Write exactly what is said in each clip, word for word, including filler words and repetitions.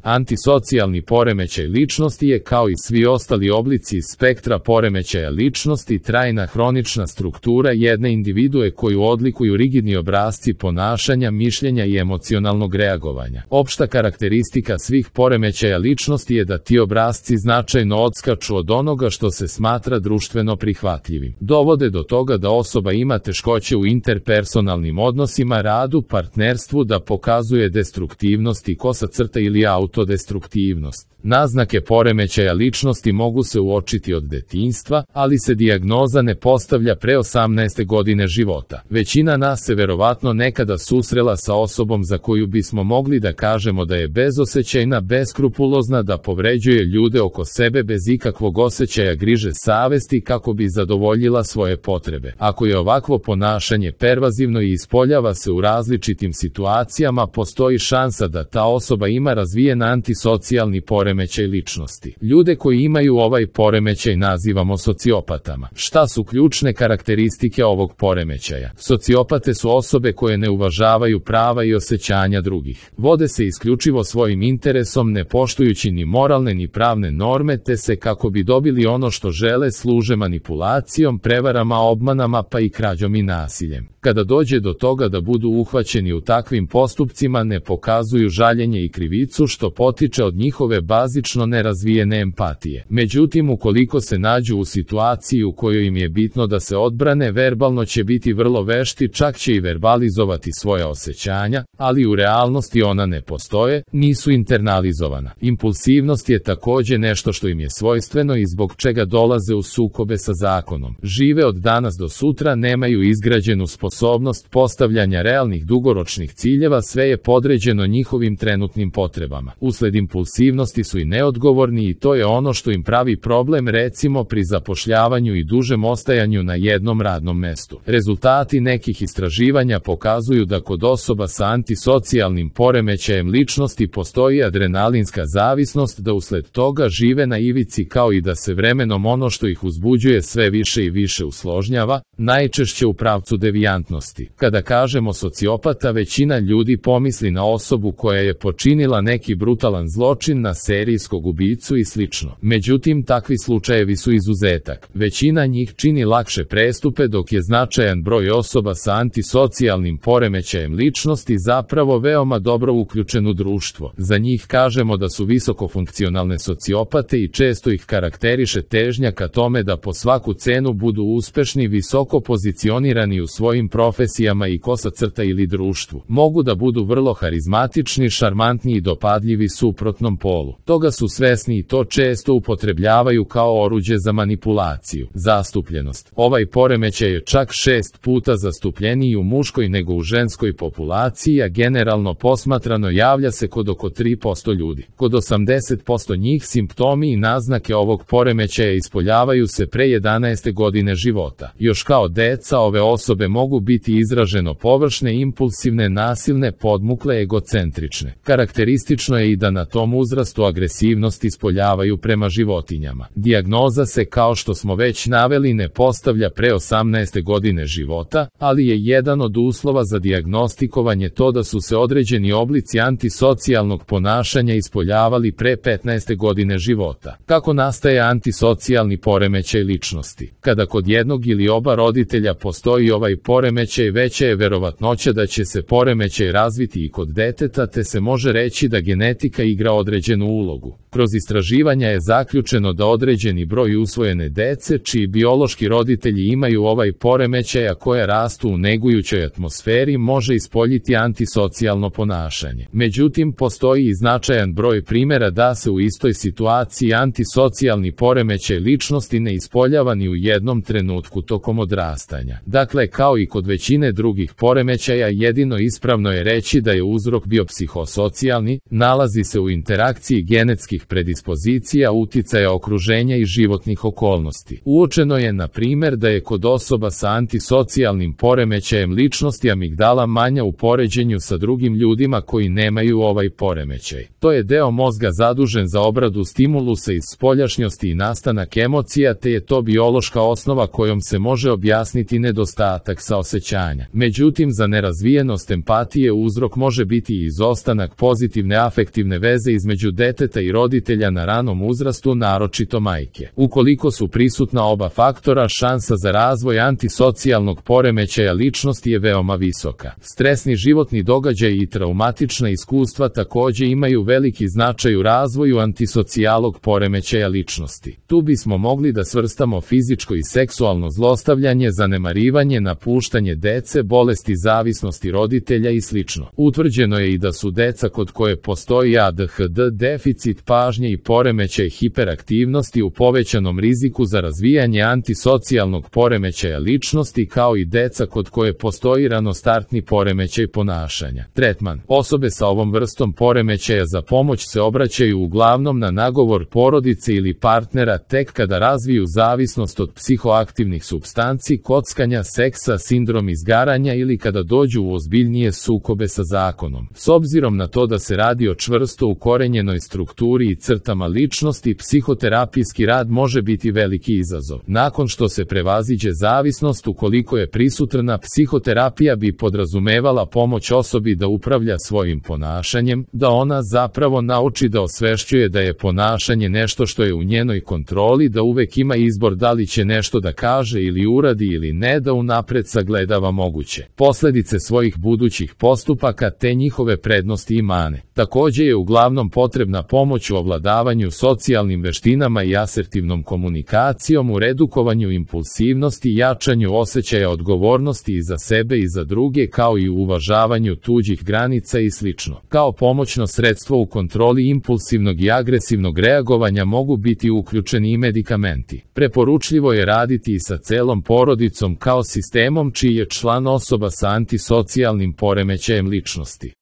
Antisocijalni poremećaj ličnosti je, kao i svi ostali oblici iz spektra poremećaja ličnosti, trajna hronična struktura jedne individue koju odlikuju rigidni obrasci ponašanja, mišljenja i emocionalnog reagovanja. Opšta karakteristika svih poremećaja ličnosti je da ti obrasci značajno odskaču od onoga što se smatra društveno prihvatljivim. Dovode do toga da osoba ima teškoće u interpersonalnim odnosima, radu, partnerstvu, da pokazuje destruktivnost i kosa crta ili autodestruktivnost. Naznake poremećaja ličnosti mogu se uočiti od detinjstva, ali se dijagnoza ne postavlja pre osamnaeste godine života. Većina nas se verovatno nekada susrela sa osobom za koju bismo mogli da kažemo da je bezosećajna, beskrupulozna, da povređuje ljude oko sebe bez ikakvog osećaja griže savesti kako bi zadovoljila svoje potrebe. Ako je ovakvo ponašanje pervazivno i ispoljava se u različitim situacijama, postoji šansa da ta osoba ima razvijen antisocijalni poremećaj ličnosti. Ljude koji imaju ovaj poremećaj nazivamo sociopatama. Šta su ključne karakteristike ovog poremećaja? Sociopate su osobe koje ne uvažavaju prava i osećanja drugih. Vode se isključivo svojim interesom, ne poštujući ni moralne ni pravne norme, te se, kako bi dobili ono što žele, služe manipulacijom, prevarama, obmanama, pa i krađom i nasiljem. Kada dođe do toga da budu uhvaćeni u takvim postupcima, ne pokazuju žaljenje i krivicu, što potiče od njihove bazično nerazvijene empatije. Međutim, ukoliko se nađu u situaciji u kojoj im je bitno da se odbrane, verbalno će biti vrlo vešti, čak će i verbalizovati svoja osećanja, ali u realnosti ona ne postoje, nisu internalizovana. Impulsivnost je takođe nešto što im je svojstveno i zbog čega dolaze u sukobe sa zakonom. Žive od danas do sutra, nemaju izgrađenu sposobnost postavljanja realnih dugoročnih ciljeva, sve je podređeno njihovim trenutnim potrebama. Usled impulsivnosti su i neodgovorni i to je ono što im pravi problem, recimo pri zapošljavanju i dužem ostajanju na jednom radnom mestu. Rezultati nekih istraživanja pokazuju da kod osoba sa antisocijalnim poremećajem ličnosti postoji adrenalinska zavisnost, da usled toga žive na ivici, kao i da se vremenom ono što ih uzbuđuje sve više i više usložnjava, najčešće u pravcu devijantnosti. Kada kažemo sociopata, većina ljudi pomisli na osobu koja je počinila neki brutalan zločin, na serijskog ubicu i slično. Međutim, takvi slučajevi su izuzetak. Većina njih čini lakše prestupe, dok je značajan broj osoba sa antisocijalnim poremećajem ličnosti zapravo veoma dobro uključen u društvo. Za njih kažemo da su visokofunkcionalne sociopate i često ih karakteriše težnja ka tome da po svaku cenu budu uspešni, visoko pozicionirani u svojim profesijama i kosa crta ili društvu. Mogu da budu vrlo harizmatični, šarmantni i dopadljivi suprotnom polu. Toga su svesni i to često upotrebljavaju kao oruđe za manipulaciju. Zastupljenost. Ovaj poremećaj je čak šest puta zastupljeniji u muškoj nego u ženskoj populaciji, a generalno posmatrano javlja se kod oko tri posto ljudi. Kod osamdeset posto njih simptomi i naznake ovog poremećaja ispoljavaju se pre jedanaeste godine života. Još kao deca ove osobe mogu biti izraženo površne, impulsivne, nasilne, podmukle, egocentrične. Karakteristično je i da na tom uzrastu agresivnost ispoljavaju prema životinjama. Dijagnoza se, kao što smo već naveli, ne postavlja pre osamnaeste godine života, ali je jedan od uslova za dijagnostikovanje to da su se određeni oblici antisocijalnog ponašanja ispoljavali pre petnaeste godine života. Kako nastaje antisocijalni poremećaj ličnosti? Kada kod jednog ili oba roditelja postoji ovaj poremećaj, veća je verovatnoća da će se poremećaj razviti i kod deteta, te se može reći da genetika igra određenu ulogu. Kroz istraživanja je zaključeno da određeni broj usvojene dece, čiji biološki roditelji imaju ovaj poremećaj, a koja rastu u negujućoj atmosferi, može ispoljiti antisocijalno ponašanje. Međutim, postoji i značajan broj primjera da se u istoj situaciji antisocijalni poremećaj ličnosti ne ispoljava ni u jednom trenutku tokom odrastanja. Dakle, kao i kod većine drugih poremećaja, jedino ispravno je reći da je uzrok bio psihosocijalni, nalazi se u interakciji genetskih genetskih predispozicija, uticaja okruženja i životnih okolnosti. Uočeno je, na primjer, da je kod osoba sa antisocijalnim poremećajem ličnosti amigdala manja u poređenju sa drugim ljudima koji nemaju ovaj poremećaj. To je deo mozga zadužen za obradu stimulusa iz spoljašnjosti i nastanak emocija, te je to biološka osnova kojom se može objasniti nedostatak saosećanja. Međutim, za nerazvijenost empatije uzrok može biti i izostanak pozitivne afektivne veze između deteta i roditelja na ranom uzrastu, naročito majke. Ukoliko su prisutna oba faktora, šansa za razvoj antisocijalnog poremećaja ličnosti je veoma visoka. Stresni životni događaj i traumatična iskustva takođe imaju veliki značaj u razvoju antisocijalnog poremećaja ličnosti. Tu bismo mogli da svrstamo fizičko i seksualno zlostavljanje, zanemarivanje, napuštanje dece, bolesti zavisnosti roditelja i slično. Utvrđeno je i da su deca kod koje postoji A D H D, deficit pažnje i poremećaj hiperaktivnosti u povećanom riziku za razvijanje antisocijalnog poremećaja ličnosti, kao i deca kod koje postoji ranostartni poremećaj ponašanja. Tretman. Osobe sa ovom vrstom poremećaja za pomoć se obraćaju uglavnom na nagovor porodice ili partnera tek kada razviju zavisnost od psihoaktivnih supstanci, kockanja, seksa, sindrom izgaranja ili kada dođu u ozbiljnije sukobe sa zakonom. S obzirom na to da se radi o čvrsto ukorenjenoj strukturi i crtama ličnosti, psihoterapijski rad može biti veliki izazov. Nakon što se prevaziđe zavisnost, ukoliko je prisutna, psihoterapija bi podrazumevala pomoć osobi da upravlja svojim ponašanjem, da ona zapravo nauči da osvešćuje da je ponašanje nešto što je u njenoj kontroli, da uvek ima izbor da li će nešto da kaže ili uradi ili ne, da unapred sagledava moguće posledice svojih budućih postupaka te njihove prednosti i mane. Takođe je uglavnom potrebna pomoć u ovladavanju socijalnim veštinama i asertivnom komunikacijom, u redukovanju impulsivnosti, jačanju osjećaja odgovornosti i za sebe i za druge, kao i u uvažavanju tuđih granica i slično. Kao pomoćno sredstvo u kontroli impulsivnog i agresivnog reagovanja mogu biti uključeni i medikamenti. Preporučljivo je raditi i sa celom porodicom kao sistemom čiji je član osoba sa antisocijalnim poremećajem ličnosti.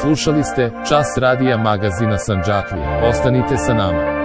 Slušali ste Čas radija magazina Sandžaklija. Ostanite sa nama.